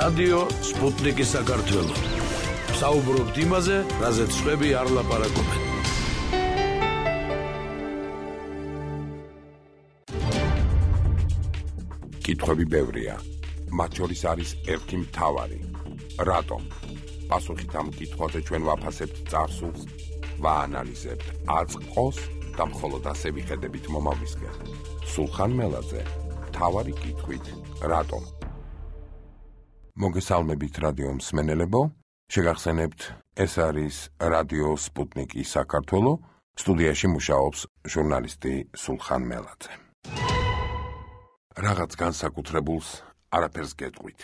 რადიო სპუტნიკი საქართველო. საუბრობთ იმაზე, რაზეც სხვები არ ლაპარაკობენ. კითხვები ბევრია. მათ შორის არის ერთი მთავარი. რატომ? პასუხით ამ კითხვაზე ჩვენ ვაფასებთ წარსულს, ვაანალიზებთ აწყოს და მხოლოდ ასე ვიხედებით მომავლისკენ. სულხან მელაძე, მთავარი კითხვით, რატომ? მოგესალმებით რადიო მსმენელებო, შეგახსენებთ, ეს არის რადიო სპუტნიკი საქართველო, სტუდიაში მუშაობს ჟურნალისტი სულხან მელაძე. რაღაც განსაკუთრებულს არაფერს გეტყვით.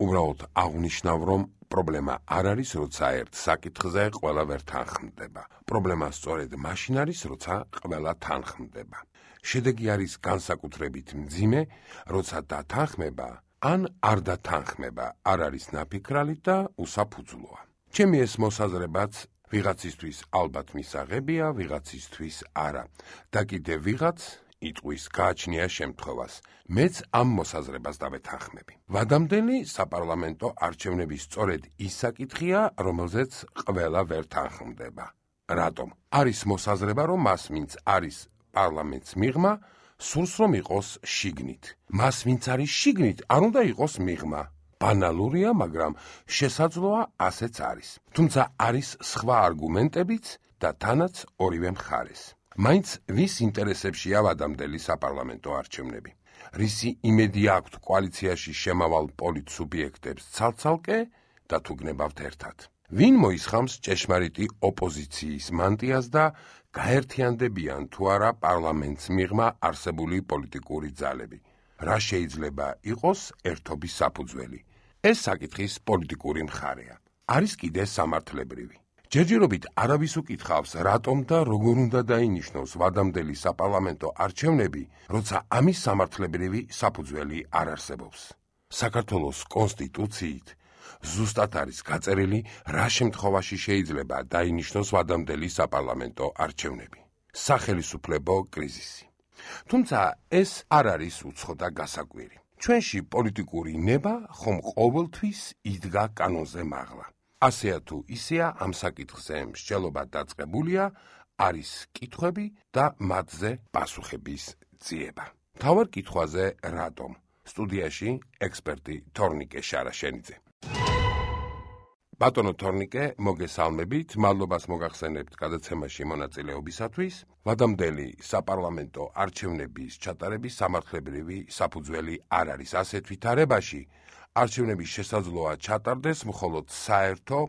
უბრალოდ აღვნიშნავ, რომ პრობლემა არ არის, როცა ერთ საკითხზე ყველა ვერ თანხმდება. პრობლემა სწორედ მაშინ არის, როცა ყველა თანხმდება. შედეგი არის განსაკუთრებით მძიმე, როცა დათანხმება ან არ დათანხმება არ არის ნაფიქრალი და უსაფუძვლოა. ჩემი ეს მოსაზრებაც ვიღაცისთვის ალბათ მისაღებია, ვიღაცისთვის არა. და კიდევ ვიღაც იტყვის გააჩნია შემთხვევას. მეც ამ მოსაზრებას დავეთანხმები. ვადამდელი საპარლამენტო არჩევნების სწორედ ის საკითხია, რომელზეც ყველა ვერ თანხმდება. რატომ? არის მოსაზრება, რომ მას, ვინც არის პარლამენტს მიღმა, სურს რომ იყოს შიგნით. მას, ვინც არის შიგნით, არ უნდა იყოს მიღმა. ბანალურია, მაგრამ შესაძლოა ასეც არის. თუმცა არის სხვა არგუმენტებიც და თანაც ორივე მხარეს. მაინც ვის ინტერესებშია ვადამდელი საპარლამენტო არჩევნები? რისი იმედი აქვთ კოალიციაში შემავალ პოლიტ სუბიექტებს ცალ-ცალკე და თუ გნებავთ ერთად? ვინ მოისხამს ჭეშმარიტი ოპოზიციის მანტიას და გაერთიანდებიან თუ არა პარლამენტს მიღმა არსებული პოლიტიკური ძალები? რა შეიძლება იყოს ერთობის საფუძველი? ეს საკითხის პოლიტიკური მხარეა. არის კიდე სამართლებრივი. ჯერჯერობით არავის უკითხავს, რატომ და როგორ უნდა დაინიშნოს ვადამდელი საპარლამენტო არჩევნები, როცა ამის სამართლებრივი საფუძველი არ არსებობს. საქართველოს კონსტიტუციით ზუსტად არის გაწერილი, რა შემთხვევაში შეიძლება დაინიშნოს ვადამდელი საპარლამენტო არჩევნები. სახელისუფლებო კრიზისი. თუმცა ეს არ არის უცხო და გასაკვირი. ჩვენში პოლიტიკური ნება ხომ ყოველთვის იდგა კანონზე მაღლა. ასეა თუ ისეა, ამ საკითხზე მსჯელობა დაწყებულია, არის კითხვები და მათზე პასუხების ძიება. მთავარ კითხვაზე რატომ? სტუდიაში ექსპერტი თორნიკე შარაშენიძე. ბატონო თორნიკე, მოგესალმებით, მადლობას მოგახსენებთ გადაცემაში მონაწილეობისათვის. ვადამდელი საპარლამენტო არჩევნების ჩატარების სამართლებრივი საფუძველი არ არის. ასეთ ვითარებაში არჩევნები შესაძლოა ჩატარდეს მხოლოდ საერთო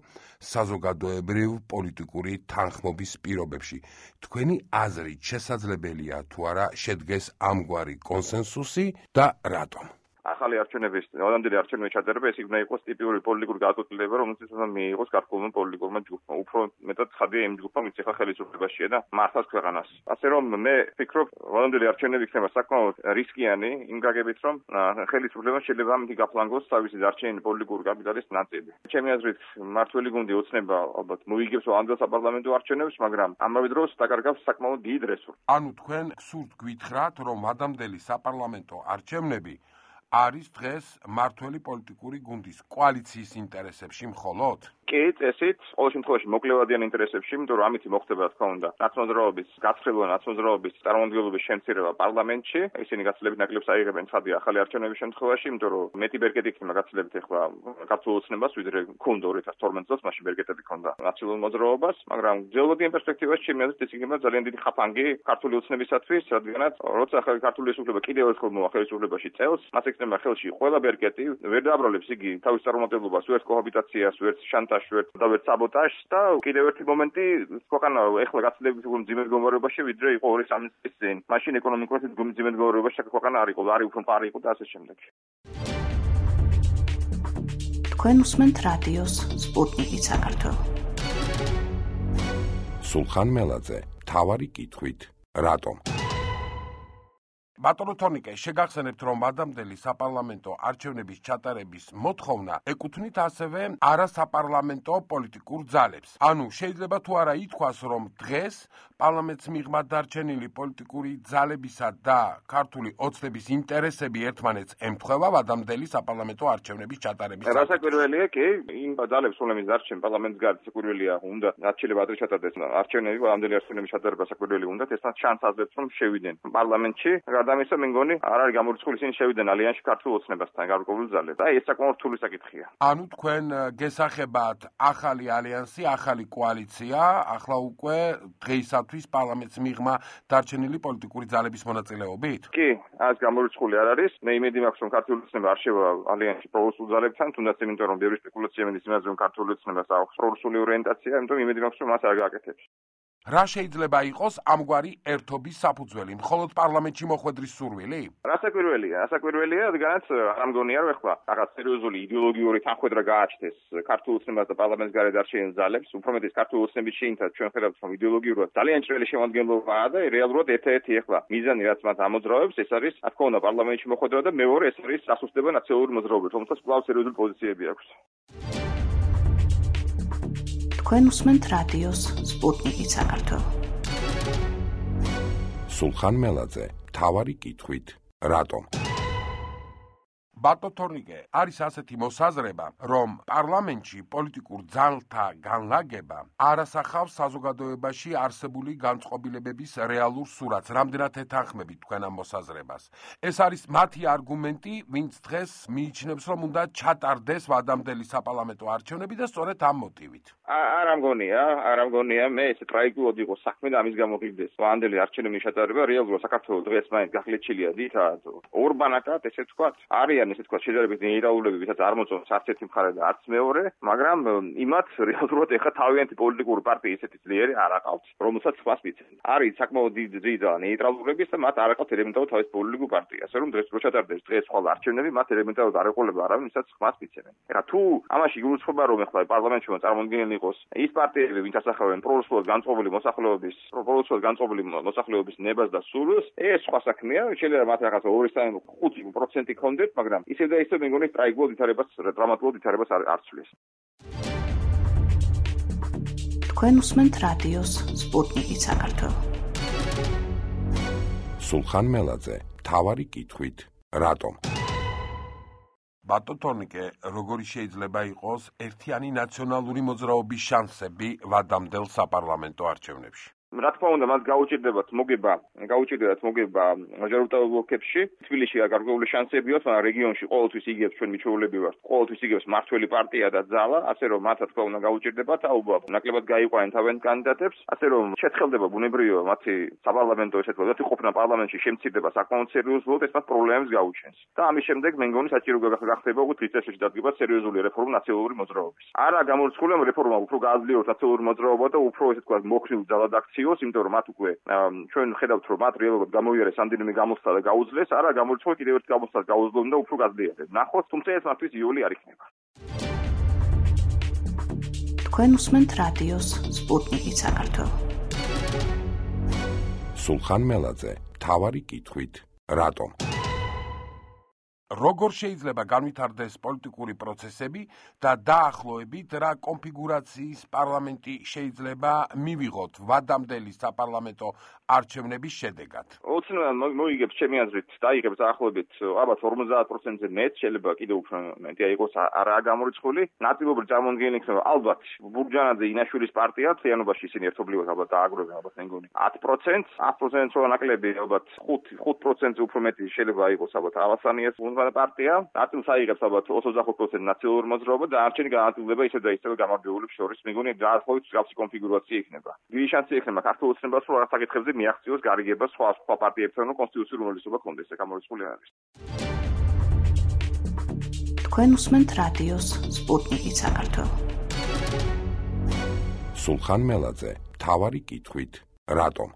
საზოგადოებრივ პოლიტიკური თანხმობის პირობებში. თქვენი აზრით შესაძლებელია თუ არა შედგეს ამგვარი კონსენსუსი და რატომ? ახალი არჩევნების, ვადამდელი არჩევნების ჩატარება ეს იქნება იყოს ტიპიური პოლიტიკური გადაწყვეტილება, რომელსაც უნდა მიიღოს გარკვეულმა პოლიტიკურმა ჯგუფმა. უფრო მეტად ხადია იმ ჯგუფმა, ვინც ახლა ხელისუფლებაშია და მართავს ქვეყანას. ასე რომ მე ვფიქრობ, ვადამდელი არჩევნები იქნება საკმაოდ რისკიანი იმ გაგებით, რომ ხელისუფლებამ შეიძლება ამით გაფლანგოს თავისი დარჩენილი პოლიტიკური კაპიტალის ნაწილი. ჩემი აზრით, მართველი გუნდი ოცნება ალბათ მოიგებს ვადამდელ საპარლამენტო არჩევნებს, მაგრამ ამავე დროს დაკარგავს საკმაოდ დიდ რესურსს. ანუ თქვენ სურთ გითხრათ, რომ ვადამდელი საპარლამენტო არჩევნები არის დღეს მართველი პოლიტიკური გუნდის კოალიციის ინტერესებში მხოლოდ? კი, წესით, ყოველ შემთხვევაში მოკლევადიან ინტერესებში, იმიტომ რომ ამით მოხდება, რა თქმა უნდა, ნაცნობრაობის გაცხრილობა, ნაცნობრაობის წარმომადგენლობის შემცირება პარლამენტში. ისინი გაცილებით ნაკლებს აიღებენ ცხადია ახალი არჩევნების შემთხვევაში, იმიტომ რომ მეტი ბერკეტი იქნება გაცილებით ახლა ქართულ ოცნებას, ვიდრე ქონდა 2012 წელს, მაშინ ბერკეტები ქონდა ნაცნობრაობის მოძრაობას, მაგრამ გეოლოგიურ პერსპექტივაში ჩემი აზრით ეს იქნება ძალიან დიდი ხაფანგი ქართული ოცნებისათვის, რადგანაც როცა ახალი ქართული ესულება კიდევ ერთხელ მოვა ხელისუფლებაში წელს, მას ექნება ხელში ყველა ბერკეტი, ვერ დააბრალებს იგი თავის წარმომადგენლობას, ვერც კოჰაბიტაციას, ვერც შანტაჟს, და ვერც საბოტაჟს და კიდევ ერთი მომენტი, ქვეყანა ეხლა გაცილებით მძიმე მდგომარეობაში, ვიდრე იყო 2-3 წლის წინ. მაშინ ეკონომიკურად მძიმე მდგომარეობაში ქვეყანა არ იყო, არის უფრო მყარი იყო და ასე შემდეგ. თქვენ უსმენთ რადიოს სპუტნიკი საქართველო. სულხან მელაძე, მთავარი კითხვით, რატომ? ბატონო თორნიკე, შეგახსენებთ, რომ ადამდელი საპარლამენტო არჩევნების ჩატარების მოთხოვნა ეკუთვნით ასევე არასაპარლამენტო პოლიტიკურ ძალებს. ანუ შეიძლება თუ არა ითქვას, რომ დღეს პარლამენტს მიღმა დარჩენილი პოლიტიკური ძალებისა და ქართული ოცნების ინტერესები ერთმანეთს ემთხვევა ადამდელი საპარლამენტო არჩევნების ჩატარების. რასაკვირველია კი, იმ ძალებს, რომლებიც დარჩენ პარლამენტს გარეთ, საკვირველია უნდა არჩევნები ადრე ჩატარდეს. არჩევნები ადამდელი არჩევნების ჩატარება საკვირველი უნდა, ესთან ჩანს აძლევს, რომ შევიდნენ პარლამენტში. გადამისა მე მგონი არ არის გამორიცხული, ისინი შევიდნენ ალიანსში ქართულ ოცნებასთან გარკვეული ძალები. და ეს საკმაოდ რთული საკითხია. ანუ თქვენ გესახებათ ახალი ალიანსი, ახალი კოალიცია, ახლა უკვე დღეისათვის პარლამენტს მიღმა დარჩენილი პოლიტიკური ძალების მონაწილეობით? კი, ეს გამორიცხული არ არის. მე იმედი მაქვს, რომ ქართული ოცნება არ შევა ალიანსში პრორუსულ ძალებთან, თუნდაც იმიტომ, რომ ბევრი სპეკულაცია მედის იმაზე, რომ ქართული ოცნებას აქვს პრორუსული ორიენტაცია, იმიტომ იმედი მაქვს, რომ მას არ გააკეთებს. რა შეიძლება იყოს ამგვარი ერთობის საფუძველი? მხოლოდ პარლამენტში მოხვედრის სურვილი? რასაკვირველია, რადგანაც არ მგონია, რომ ეხლა რაღაც სერიოზული იდეოლოგიური თანხმედრა გააჩნდეს ქართულ ოცნებას და პარლამენტს გარეთ დარჩენილ ძალებს, უფრო მეტიც ქართულ ოცნების შეინთად ჩვენ ხედავთ, რომ იდეოლოგიურად ძალიან ჭრელი შემადგენლობაა და რეალურად ერთ-ერთი ეხლა მიზანი, რაც მათ ამოძრავებს, ეს არის, რა თქმა უნდა, პარლამენტში მოხვედრა და მეორე ეს არის დასუსტება ნაციონალური მოძრაობებით, რომელსაც კვლავ სერიოზული პოზიციები აქვს. თქვენ უსმენთ რადიოს სპუტნიკი საქართველო. სულხან მელაძე, მთავარი კითხვით, რატომ? ბატონო თორნიკე, არის ასეთი მოსაზრება, რომ პარლამენტში პოლიტიკურ ძალთა განლაგება არ ასახავს საზოგადოებაში არსებული განწყობილებების რეალურ სურათს. რამდენად ეთანხმებით თქვენ ამ მოსაზრებას? ეს არის მათი არგუმენტი, ვინც დღეს მიიჩნევს, რომ უნდა ჩატარდეს ადამდელი საპარლამენტო არჩევნები და სწორედ ამ მოტივით. არ ამგონია, მე ეს ტრაიგულად იყო საქმე და ამის გამო ღირდეს. ადამდელი არჩევნების ჩატარება რეალურად საქართველოს დღეს მაინც გახლეჩილია დიდა ორბანაკად, ესე ვთქვათ, არიან ესე თქვა შეჯერებით ნეირაულები, ვისაც არ მოწონს არც ერთი მხარე და არც მეორე, მაგრამ იმათ რეალურად ეხა თავიანთი პოლიტიკური პარტია ისეთი ძლიერი არ აყავთ, რომელსაც ხმას მიცემენ. არის საკმაოდ დიდი და ნეიტრალურების და მათ არ აყავთ ელემენტარულ თავის პოლიტიკურ პარტიას, რომ დღეს რო ჩატარდეს დღეს ხვალ არჩევნები, მათ ელემენტარულად არ ეყოლება არავინ, ვისაც ხმას მიცემენ. ეხა თუ ამაში გულისხმობა რომ ეხლა პარლამენტში წარმომადგენელი იყოს ის პარტიები, ვინც ასახავენ პრორუსულად განწყობილი მოსახლეობის ნებას და სურვილს, ეს სხვა საქმეა, შეიძლება მათ რაღაცა 2-5% ქონდეთ, მაგრამ ისევ და ისევ მე მგონი ტრაიგულად ვითარებას, დრამატულად ვითარებას არ ცვლის. თქვენ უსმენთ რადიოს სპუტნიკი საქართველო. სულხან მელაძე, მთავარი კითხვით, რატომ? ბატონო თორნიკე, როგორი შეიძლება იყოს ერთიანი ნაციონალური მოძრაობის შანსები ვადამდელ საპარლამენტო არჩევნებში? რა თქმა უნდა, მას გაუჭირდებათ მოგება მაჟორიტარულ ოლქებში. თბილისში გარკვეული შანსები აქვს, მაგრამ რეგიონში ყოველთვის იგებს ჩვენ მიჩვეულები ვართ. ყოველთვის იგებს მართველი პარტია და ძალა, ასე რომ მათ რა თქმა უნდა გაუჭირდებათ, აუბრალოდ ნაკლებად გაიყვანენ თავიანთ კანდიდატებს, ასე რომ შეთხელდება ბუნებრივია მათი საპარლამენტო ესე თქვა, ყოფნა პარლამენტში შემცირდება საკმაოდ სერიოზულად, ეს მათ პრობლემებს გაუჩენს. და ამის შემდეგ მე მგონი საჭირო გახდება უკვე თვითწესში დადგება სერიოზული რეფორმა ნაციონალური მოძრაობის. არა გამორიცხული რეფორმა უფრო გააძლიეროს ნაციონალური მოძრაობა და უფრო ესე თქვა მოქნილ ძალად აქციოს, იმიტომ რომ მათ უკვე ჩვენ ხედავთ რომ მათ რეალურად გამოიარეს ამდენიმე გამოსვლა და გაუძლეს, არა გამორიცხული კიდევ ერთ გამოსვლას გაუძლონ და უფრო გაძლიერდეს. ნახოთ, თუმცა ეს მათთვის იოლი არ იქნება. თქვენ უსმენთ რადიოს სპუტნიკი საქართველო. სულხან მელაძე, მთავარი კითხვით, რატომ? როგორ შეიძლება განვითარდეს პოლიტიკური პროცესები და დაახლოებით რა კონფიგურაციის პარლამენტი შეიძლება მივიღოთ ვადამდელი საპარლამენტო არჩევნების შედეგად? ოცნებად მოიგებს ჩემი აზრით, დაიღებს დაახლოებით ალბათ 50%-ზე მეტ, შეიძლება კიდევ უფრო მეტი იყოს, არაა გამორიცხული. ნაწილობრივ წარმომადგენელი იქნება ალბათ ბურჯანაძე ინაშვილის პარტია, თიანობაში ისინი ერთობლივად ალბათ დააგროვებენ, ალბათ მე მგონი 10%, 10% რო ნაკლები ალბათ 5%-ზე უფრო მეტი შეიძლება იყოს ალბათ ალასანიას პარტია, ნაწილს აიღებს ალბათ 25% ნაციონალური მოძრაობა და არჩენი განაწილდება ისევ და ისევ გამარჯვებულებს შორის. მე მგონი დაახლოებით მსგავსი კონფიგურაცია იქნება. დიდი შანსი იქნება ქართულ ოცნებას, რომ რაღაც საკითხებზე მიაღწიოს გარიგება სხვა პარტიებთან, რომ კონსტიტუციური უმრავლესობა კონდეს, ეს გამორიცხული არის. თქვენ უსმენთ რადიოს სპუტნიკი საქართველო. სულხან მელაძე, მთავარი კითხვით, რატომ?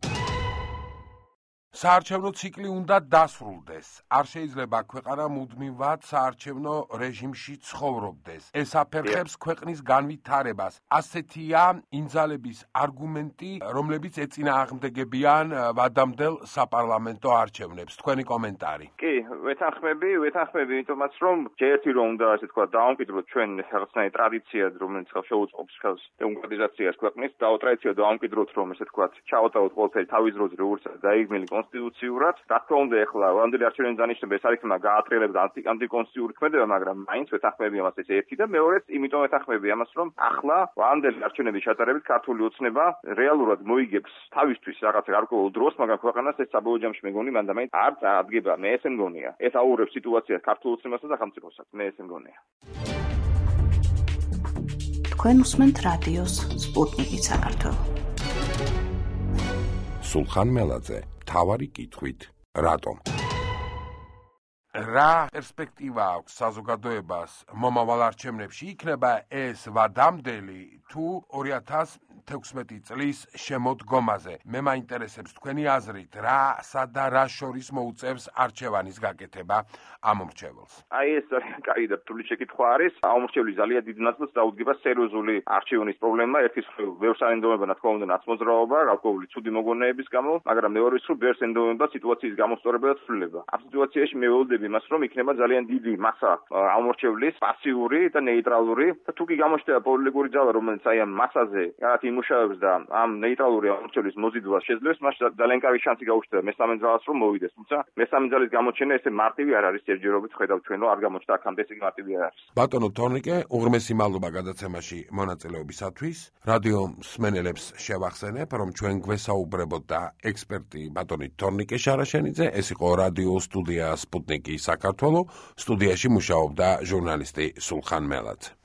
საარჩევნო ციკლი უნდა დასრულდეს. არ შეიძლება ქვეყანა მუდმივად საარჩევნო რეჟიმში ცხოვრობდეს. ეს აფერხებს ქვეყნის განვითარებას. ასეთია ინძალების არგუმენტი, რომლებიც ეწინააღმდეგებიან ვადამდელ საპარლამენტო არჩევნებს. თქვენი კომენტარი. კი, ვეთანხმები, იმიტომაც რომ ჯერტი რომ უნდა ასე თქვა დავამკვიდროთ ჩვენ რაღაცნაირი ტრადიცია, რომელიც შეუწყობს ხელს დემოკრატიზაციას ქვეყნის, ტრადიციად დავამკვიდროთ რომ ესე თქვა ჩავატაროთ ყველაფერი თავის დროზე როგორც დაიგმილი კონსტიტუციურად. რა თქმა უნდა, ეხლა ვანდელი არჩევნების დანიშნულება ეს არ იქნება გაატრიალება ანტიკონსტიტუციური ქმედება, მაგრამ მაინც ვეთანხმები ამას ეს ერთი და მეორეც იმიტომ ვეთანხმები ამას რომ ახლა ვანდელი არჩევნების ჩატარებით ქართული ოცნება რეალურად მოიგებს თავისთვის რაღაც გარკვეულ დროს, მაგრამ ქვეყანას ეს საბოლოო ჯამში მეგონი მანდამაინც არ წარადგება. მე ესე მგონია. ეს აურევს სიტუაციას ქართულ ოცნებასა და სახელმწიფოსაც. მე ესე მგონია. თქვენ უსმენთ რადიოს სპუტნიკი საქართველო. სულხან მელაძე, მთავარი კითხვით, რატომ? რა პერსპექტივა აქვს საზოგადოებას მომავალ არჩევნებში? იქნება ეს ვადამდელი თუ 2016 წლის შემოდგომაზე? მე მაინტერესებს თქვენი აზრით, რასა და რა შორის მოუწევს არჩევანის გაკეთება ამ მრჩეველს? აი ეს კაი და რთული შეკითხვა არის. ამ მრჩევლის ძალიან დიდ ნაწილს დაუდგება სერიოზული არჩევნის პრობლემა. ერთის მხრივ ბევრს აენდობება, რა თქმა უნდა, ნაცმოძრაობა, გარკვეული ცუდი მოგონებების გამო, მაგრამ მეორეს მხრივ ბევრს ენდობება სიტუაციის გამოსწორება და ცვლილება. ამ სიტუაციაში მე ველოდები იმას, რომ იქნება ძალიან დიდი მასა ამ მრჩევლის პასიური და ნეიტრალური და თუ კი გამოჩნდება პოლიტიკური ძალა, რომელიც აი ამ მასაზე რაღაც იმუშავებს და ამ ნეიტრალური ამ მრჩევლის მოზიდვას შეძლებს, მას ძალიან კარგი შანსი გაუჩნდება მესამე ძალას რომ მოვიდეს. თუმცა მესამე ძალის გამოჩენა ესე მარტივი არ არის. ჯერჯერობით ხედავთ ჩვენ რომ არ გამოჩნდა აქამდე ესე მარტივი არ არის. ბატონო თორნიკე, უღრმესი მადლობა გადაცემაში მონაწილეობისათვის. რადიო მსმენელებს შევახსენებ, რომ ჩვენ გვესაუბრებოდ და ექსპერტი ბატონი თორნიკე შარაშენიძე, ეს იყო რადიო სტუდია სპუტნიკი საქართველო, სტუდიაში მუშაობდა ჟურნალისტი სულხან მელაძე.